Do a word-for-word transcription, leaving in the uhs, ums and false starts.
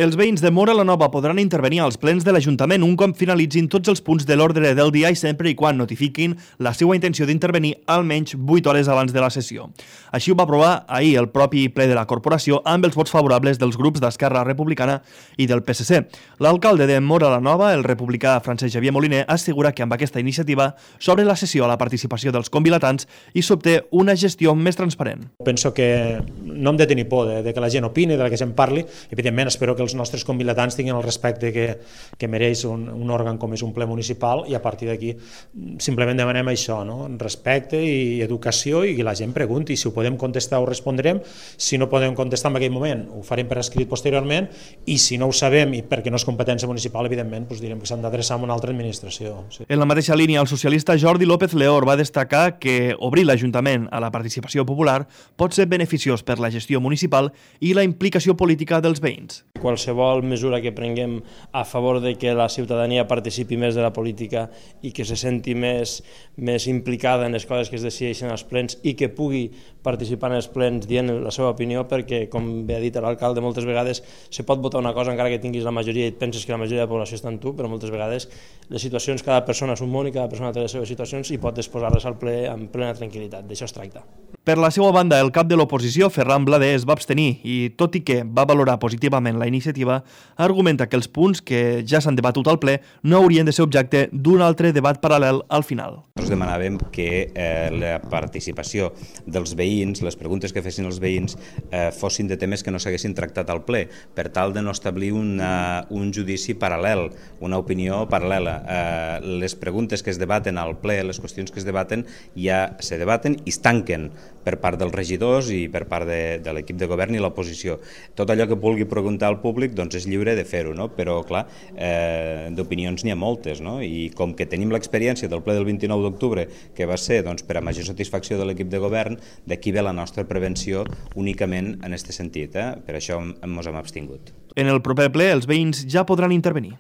Els veïns de Móra la Nova podran intervenir als plens de l'Ajuntament un cop finalitzin tots els punts de l'ordre del dia i sempre i quan notifiquin la seva intenció d'intervenir almenys vuit hores abans de la sessió. Així ho va aprovar ahir el propi ple de la corporació amb els vots favorables dels grups d'Esquerra Republicana i del P S C. L'alcalde de Móra la Nova, el republicà Francesc Xavier Moliner, assegura que amb aquesta iniciativa s'obre la sessió a la participació dels convilatants i s'obté una gestió més transparent. Penso que no hem de tenir por de, de que la gent opini, de que se'n parli. Evidentment, espero que els nostres convilatants tinguin el respecte que, que mereix un, un òrgan com és un ple municipal, i a partir d'aquí simplement demanem això, no? Respecte i educació, i que la gent pregunti. Si ho podem contestar ho respondrem, si no podem contestar en aquell moment ho farem per escrit posteriorment, i si no ho sabem i perquè no és competència municipal, evidentment doncs direm que s'han d'adreçar a una altra administració. Sí. En la mateixa línia, el socialista Jordi López Leor va destacar que obrir l'Ajuntament a la participació popular pot ser beneficiós per la gestió municipal i la implicació política dels veïns. Qualsevol mesura que prenguem a favor de que la ciutadania participi més de la política i que se senti més, més implicada en les coses que es decideixen als plens i que pugui participar en els plens dient la seva opinió, perquè, com bé ha dit l'alcalde, moltes vegades se pot votar una cosa encara que tinguis la majoria i et penses que la majoria de la població està en tu, però moltes vegades les situacions, cada persona és un món i cada persona té les seves situacions i pot exposar-les al ple amb plena tranquil·litat. D'això es tracta. Per la seva banda, el cap de l'oposició, Ferran Blader, es va abstenir i, tot i que va valorar positivament la iniciativa, argumenta que els punts que ja s'han debatut al ple no haurien de ser objecte d'un altre debat paral·lel al final. Nosaltres demanàvem que eh, la participació dels veïns, les preguntes que fessin els veïns, eh, fossin de temes que no s'haguessin tractat al ple, per tal de no establir una, un judici paral·lel, una opinió paral·lela. Eh, les preguntes que es debaten al ple, les qüestions que es debaten, ja se debaten i es tanquen per part dels regidors i per part de, de l'equip de govern i l'oposició. Tot allò que vulgui preguntar al públic doncs és lliure de fer-ho, no? Però clar, eh, d'opinions n'hi ha moltes, no? I com que tenim l'experiència del ple del vint-i-nou d'octubre, que va ser doncs, per a major satisfacció de l'equip de govern, d'aquí ve la nostra prevenció únicament en aquest sentit. Eh? Per això ens hem abstingut. En el proper ple els veïns ja podran intervenir.